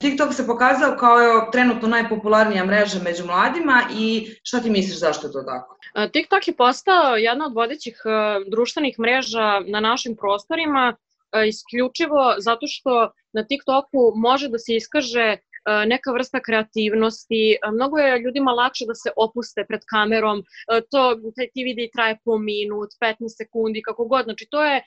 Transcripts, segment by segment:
TikTok se pokazao kao trenutno najpopularnija mreža među mladima i šta ti misliš zašto je to tako? TikTok je postao jedna od vodećih društvenih mreža na našim prostorima, isključivo zato što na TikToku može da se iskaže neka vrsta kreativnosti, mnogo je ljudima lakše da se opuste pred kamerom, ti videi traje po minut, 15 sekundi, kako god, znači to je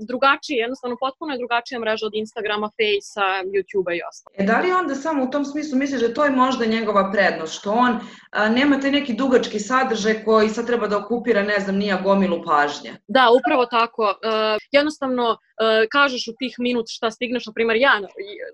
drugačije, jednostavno potpuno je drugačija mreža od Instagrama, Facea, YouTubea i ostalo. Da li onda samo u tom smislu misliš da to je možda njegova prednost, što on nema taj neki dugački sadržaj koji sad treba da okupira, ne znam, nija gomilu pažnje? Da, upravo tako, jednostavno kažeš u tih minut šta stigneš, na primjer ja,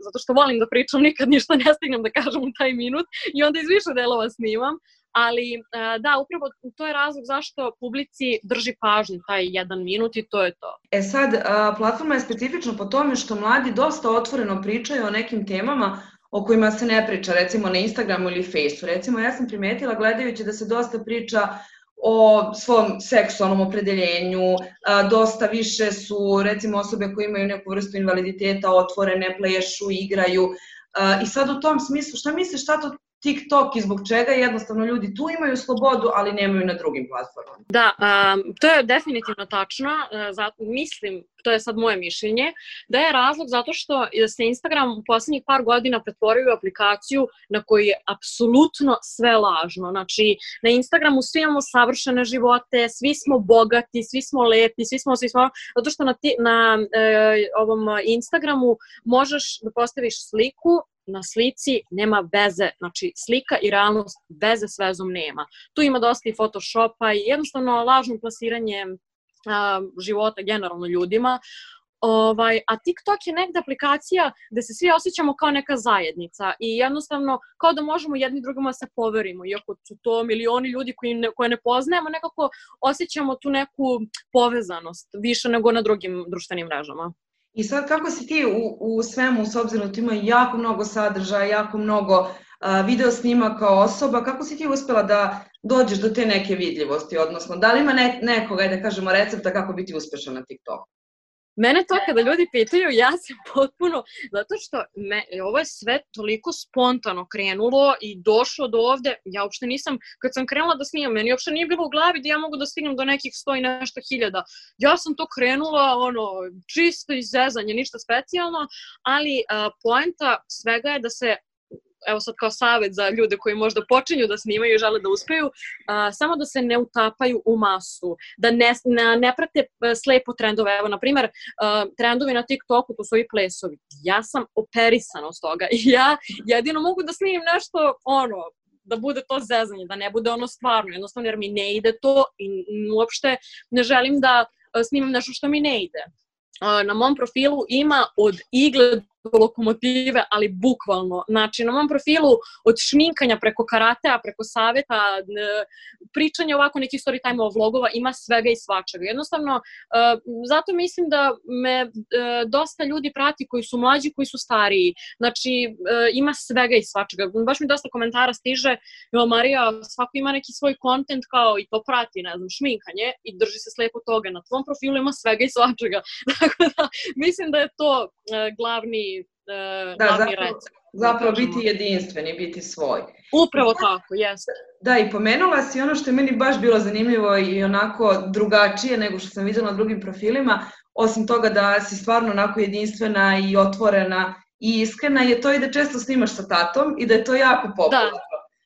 zato što volim da pričam, nikad ništa ne stignem da kažem u taj minut i onda iz više delova snimam, ali da, upravo to je razlog zašto publici drži pažnju taj jedan minut i to je to. Sad, platforma je specifična po tome što mladi dosta otvoreno pričaju o nekim temama o kojima se ne priča, recimo na Instagramu ili Faceu. Recimo, ja sam primetila gledajući da se dosta priča o svom seksualnom opredeljenju, dosta više su recimo osobe koje imaju neku vrstu invaliditeta otvorene, plešu, igraju. I sad u tom smislu, šta misliš šta to TikTok i zbog čega jednostavno ljudi tu imaju slobodu, ali nemaju na drugim platformama? Da, to je definitivno tačno, mislim, to je sad moje mišljenje, da je razlog zato što se Instagram u poslednjih par godina pretvorio u aplikaciju na kojoj je apsolutno sve lažno. Znači, na Instagramu svi imamo savršene živote, svi smo bogati, svi smo lepi, svi smo, zato što na ovom Instagramu možeš da postaviš sliku, na slici nema veze, znači slika i realnost veze s vezom nema. Tu ima dosta i Photoshopa i jednostavno lažno plasiranje života generalno ljudima. A TikTok je negde aplikacija gde se svi osjećamo kao neka zajednica i jednostavno kao da možemo jedni drugima se poverimo, iako su to milioni ljudi koje ne poznajemo, nekako osjećamo tu neku povezanost više nego na drugim društvenim mrežama. I sad kako si ti u svemu, s obzirom da ti ima jako mnogo sadržaja, jako mnogo video snimaka osoba, kako si ti uspela da dođeš do te neke vidljivosti, odnosno da li ima nekoga, da kažemo, recepta kako biti uspešan na TikToku? Mene to kada ljudi pitaju, ja sam potpuno, zato što ovo je sve toliko spontano krenulo i došlo do ovde, ja uopšte nisam, kad sam krenula da snimam, meni uopšte nije bilo u glavi da ja mogu da stignem do nekih 100 i nešto hiljada. Ja sam to krenula, čisto iz zezanja, ništa specijalno, ali poenta svega je da se, evo sad kao savjet za ljude koji možda počinju da snimaju i žele da uspeju, samo da se ne utapaju u masu, da ne prate slepo trendove. Evo, na primer, trendovi na TikToku, to su ovi plesovi. Ja sam operisana od toga i ja jedino mogu da snimim nešto, da bude to zezanje, da ne bude stvarno, jednostavno jer mi ne ide to i uopšte ne želim da snimam nešto što mi ne ide. Na mom profilu ima od igle do lokomotive, ali bukvalno. Znači, na mom profilu od šminkanja preko karatea, preko saveta, pričanja ovako nekih story time-ova, vlogova, ima svega i svačega. Jednostavno, zato mislim da me dosta ljudi prati koji su mlađi, koji su stariji. Znači, ima svega i svačega. Baš mi dosta komentara stiže, Marija, svako ima neki svoj kontent kao i to prati, ne znam, šminkanje i drži se slepo toga. Na tvom profilu ima svega i svačega. Tako da, mislim da je to glavni recept. Zapravo biti jedinstveni, biti svoj. Upravo tako, jeste. Da, i pomenula si ono što je meni baš bilo zanimljivo i onako drugačije nego što sam videla na drugim profilima, osim toga da si stvarno onako jedinstvena i otvorena i iskrena, je to i da često snimaš sa tatom i da je to jako popularno.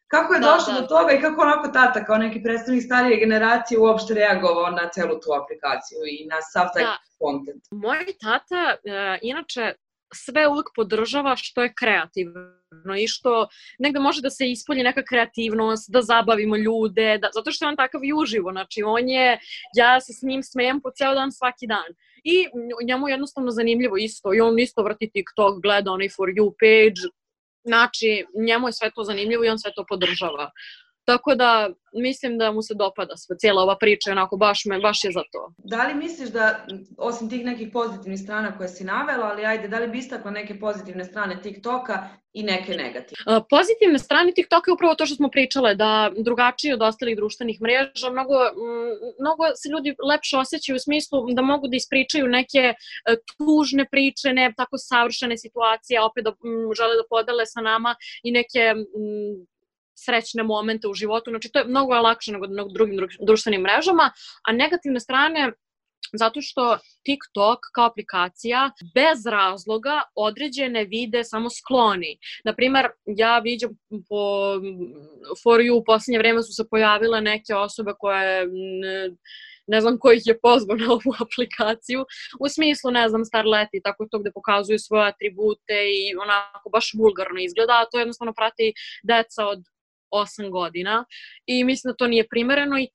Kako je došlo do toga i kako onako tata kao neki predstavnik starije generacije uopšte reagovao na celu tu aplikaciju i na sav taj kontent? Moj tata, inače, sve uvek podržava što je kreativno i što negde može da se ispolji neka kreativnost, da zabavimo ljude, zato što je on takav i uživo, znači ja se s njim smejem po ceo dan svaki dan. I njemu je jednostavno zanimljivo isto i on isto vrti TikTok, gleda onaj For You page, znači njemu je sve to zanimljivo i on sve to podržava. Tako da mislim da mu se dopada cijela ova priča, onako baš je za to. Da li misliš da, osim tih nekih pozitivnih strana koje si navela, ali ajde, da li bi istakla neke pozitivne strane TikToka i neke negativne? Pozitivne strane TikToka je upravo to što smo pričale, da drugačije od ostalih društvenih mreža, mnogo se ljudi lepše osjećaju u smislu da mogu da ispričaju neke tužne priče, ne tako savršene situacije, opet da žele da podele sa nama i neke srećne momente u životu. Znači, to je mnogo lakše nego na drugim društvenim mrežama, a negativne strane zato što TikTok kao aplikacija bez razloga određene vide samo skloni. Naprimer, ja vidim po For You u posljednje vreme su se pojavile neke osobe koje ne znam ko ih je pozvao na ovu aplikaciju, u smislu, ne znam, starleti, tako to gde pokazuju svoje atribute i onako baš vulgarno izgleda, a to jednostavno prati deca od 8 godina i mislim da to nije primereno i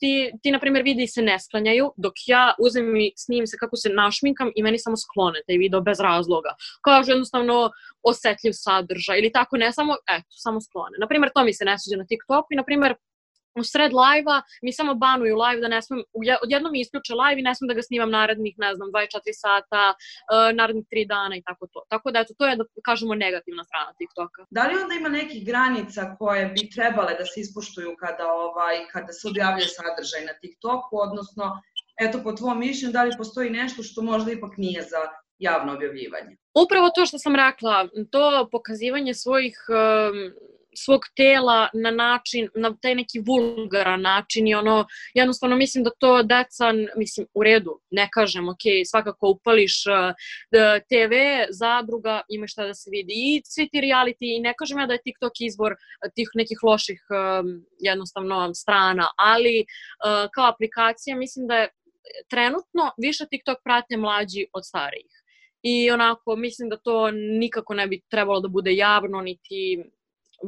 ti na primjer videi se ne sklanjaju, dok ja uzmem i snimim se kako se našminkam i meni samo sklone taj video bez razloga. Kažu jednostavno osetljiv sadržaj ili tako, ne samo, samo sklone. Naprimjer, to mi se ne sviđa na TikToku i naprimjer u sred live-a mi samo banuju live da ne smem, odjednom mi isključe live i ne smem da ga snimam narednih, ne znam, 24 sata, narednih 3 dana i tako to. Tako da eto, to je da kažemo negativna strana TikToka. Da li onda ima nekih granica koje bi trebale da se ispoštuju kada se objavljuje sadržaj na TikToku, odnosno, eto, po tvom mišljenju, da li postoji nešto što možda ipak nije za javno objavljivanje? Upravo to što sam rekla, to pokazivanje svog tela na način, na taj neki vulgaran način i ono, jednostavno mislim da to deca, mislim, u redu, ne kažem, ok, svakako upališ TV, zadruga, ima šta da se vidi i svi ti reality i ne kažem ja da je TikTok izbor tih nekih loših jednostavno strana, ali kao aplikacija mislim da je trenutno više TikTok prate mlađi od starijih. I onako, mislim da to nikako ne bi trebalo da bude javno, niti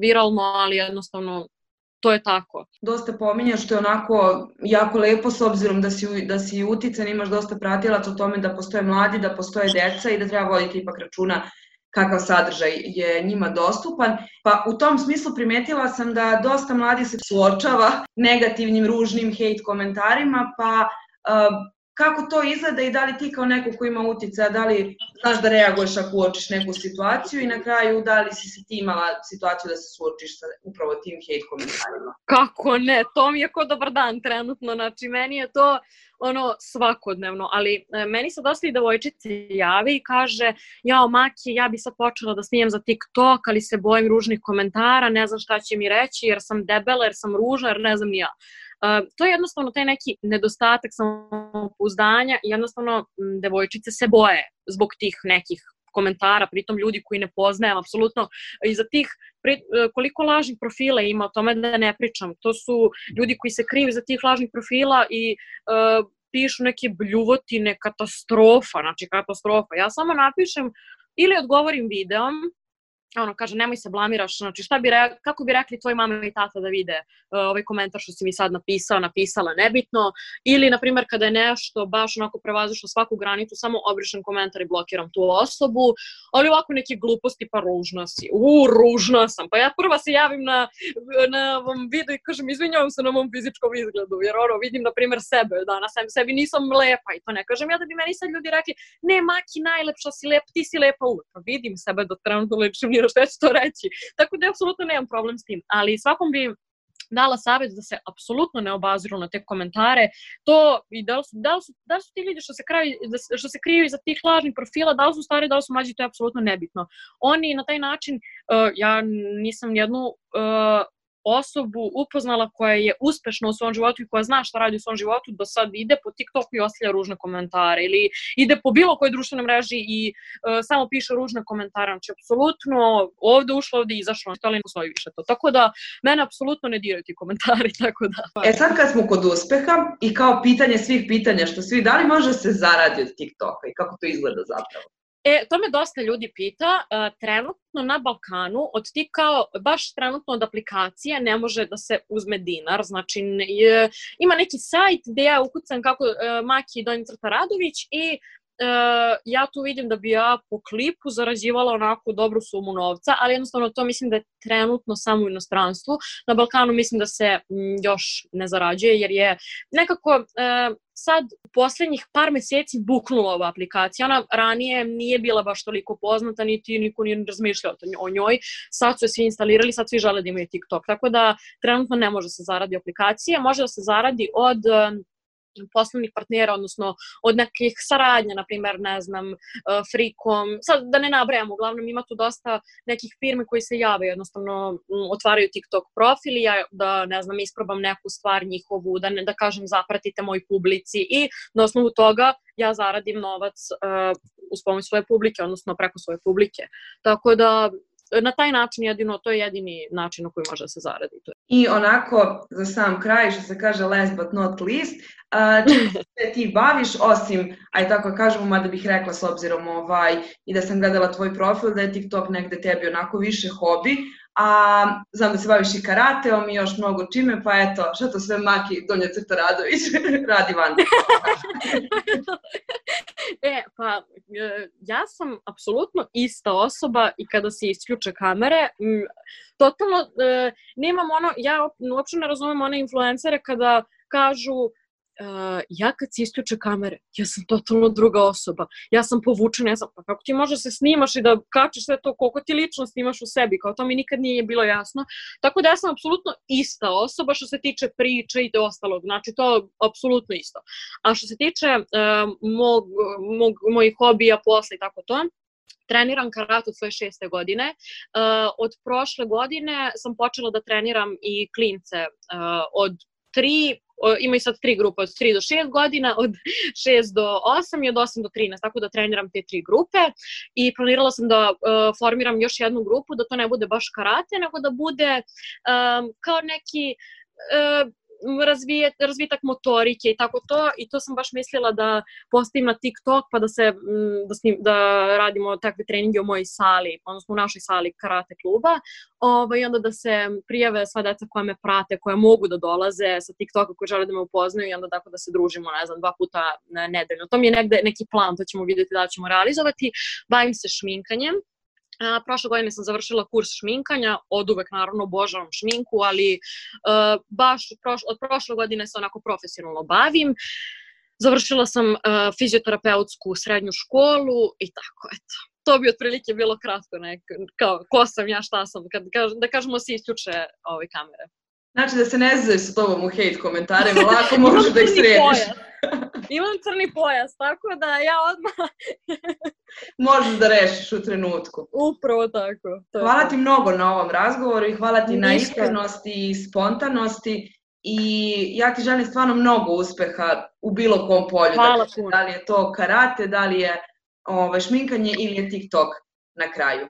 viralno, ali jednostavno to je tako. Dosta pominjaš što je onako jako lepo s obzirom da si utican, imaš dosta pratilaca o tome da postoje mladi, da postoje deca i da treba voditi ipak računa kakav sadržaj je njima dostupan. Pa u tom smislu primetila sam da dosta mladi se suočava negativnim, ružnim hejt komentarima, pa kako to izgleda i da li ti kao neko ko ima uticaja, da li znaš da reaguješ ako uočiš neku situaciju i na kraju da li si ti imala situaciju da se suočiš sa upravo tim hejt komentarima? Kako ne, to mi je ko dobar dan trenutno, znači meni je to svakodnevno, ali meni se dosta i devojčice javi i kaže, jao Maki, ja bi sad počela da snimam za TikTok, ali se bojim ružnih komentara, ne znam šta će mi reći, jer sam debela, jer sam ružna, jer ne znam ni ja. To je jednostavno taj neki nedostatak samopouzdanja i jednostavno devojčice se boje zbog tih nekih komentara, pritom ljudi koji ne poznajem apsolutno i za tih koliko lažnih profila ima, o tome da ne pričam, to su ljudi koji se kriju za tih lažnih profila i pišu neke bljuvotine, katastrofa, znači katastrofa. Ja samo napišem ili odgovorim videom, kaže, nemoj se blamiraš, znači kako bi rekli tvoji mama i tata da vide ovaj komentar što si mi sad napisala, nebitno, ili, na primjer, kada je nešto baš onako prevazišlo svaku granicu, samo obrišem komentar i blokiram tu osobu, ali ovako neke gluposti, pa ružna si, ružna sam, pa ja prva se javim na ovom videu i kažem, izvinjavam se na mom fizičkom izgledu, jer vidim, na primjer, sebe, da, na sebi nisam lepa i to ne kažem ja da bi meni sad ljudi rekli, ne, Maki, najlepša si lepa, ti si lepa uvek, pa vidim sebe da trenutno ličim što ja ću to reći. Tako da apsolutno nemam problem s tim. Ali svakom bi dala savjet da se apsolutno ne obaziru na te komentare. To i da li su ti ljudi što se kriju iza tih lažnih profila, da li su stari, da li su mlađi, to je apsolutno nebitno. Oni na taj način, ja nisam jednu osobu upoznala koja je uspešna u svom životu i koja zna šta radi u svom životu, da sad ide po TikToku i ostavlja ružne komentare ili ide po bilo kojoj društvenoj mreži i samo piše ružne komentare. Znači, apsolutno ovde ušlo, ovde izašlo, ali ne postoji više to. Tako da, mene apsolutno ne diraju ti komentari, tako da. Sad kad smo kod uspeha i kao pitanje svih pitanja što svi, da li može se zaradi od TikToka i kako to izgleda zapravo? To me dosta ljudi pita, trenutno na Balkanu, baš trenutno od aplikacije ne može da se uzme dinar, znači ima neki sajt gde ja ukucam kako Maki Donji Radović i ja tu vidim da bi ja po klipu zarađivala onako dobru sumu novca, ali jednostavno to mislim da je trenutno samo u inostranstvu. Na Balkanu mislim da se još ne zarađuje, jer je nekako sad u poslednjih par meseci buknula ova aplikacija. Ona ranije nije bila baš toliko poznata, niti niko nije razmišljao o njoj. Sad su je svi instalirali, sad svi žele da imaju TikTok. Tako da trenutno ne može se zaradi aplikacija. Može da se zaradi od poslovnih partnera, odnosno od nekih saradnja, na primjer, ne znam, Frikom, sad da ne nabrajamo, uglavnom ima tu dosta nekih firme koji se jave, jednostavno otvaraju TikTok profil i ja da, ne znam, isprobam neku stvar njihovu, da kažem zapratite moj publici i na osnovu toga ja zaradim novac uz pomoć svoje publike, odnosno preko svoje publike. Tako da na taj način jedino, to je jedini način na koji može da se zaradi. I onako, za sam kraj, što se kaže last but not least, čim se ti baviš, osim, aj tako kažemo, mada bih rekla s obzirom i da sam gledala tvoj profil, da je TikTok negde tebi onako više hobi, a znam da se baviš i karateom i još mnogo čime, pa eto, šta to sve Maki Donja Crta Radović radi van? Pa ja sam apsolutno ista osoba i kada se isključe kamere, totalno nemam ono, ja uopšte ne razumem one influencere kada kažu ja kad se isključe kamere, ja sam totalno druga osoba, ja sam povučena, pa kako ti možeš se snimaš i da kačiš sve to, koliko ti lično snimaš u sebi, kao to mi nikad nije bilo jasno, tako da ja sam apsolutno ista osoba što se tiče priče i ostalog, znači to apsolutno isto. A što se tiče mojih hobija, posla i tako to, treniram karate od svoje 6. godine. Od prošle godine sam počela da treniram i klince od 3, imaju sad 3 grupe, od 3 do 6 godina, od 6 do 8 i od 8 do 13, tako da treniram te 3 grupe i planirala sam da formiram još jednu grupu, da to ne bude baš karate, nego da bude kao neki razvitak motorike i tako to, i to sam baš mislila da postavim na TikTok pa da radimo takve treninge u mojoj sali, odnosno u našoj sali karate kluba, i onda da se prijave sva deca koja me prate, koja mogu da dolaze sa TikToka, koji žele da me upoznaju i onda tako da se družimo, ne znam, 2 puta nedeljno. To mi je negde neki plan, to ćemo vidjeti da ćemo realizovati. Bavim se šminkanjem. Prošle godine sam završila kurs šminkanja, od uvek naravno obožavam šminku, ali baš od prošle godine se onako profesionalno bavim. Završila sam fizioterapeutsku srednju školu i tako, eto. To bi otprilike bilo kratko, kao ko sam ja, šta sam, da kažemo se isključe ove kamere. Znači da se ne zove sa tobom u hejt komentarima, lako možeš da ih središ. Imam crni pojas, tako da ja odmah... Možeš da rešiš u trenutku. Upravo tako. Hvala ti mnogo na ovom razgovoru i hvala ti na iskrenosti i spontanosti i ja ti želim stvarno mnogo uspeha u bilo kom polju. Hvala puno. Da li je to karate, da li je šminkanje ili je TikTok na kraju.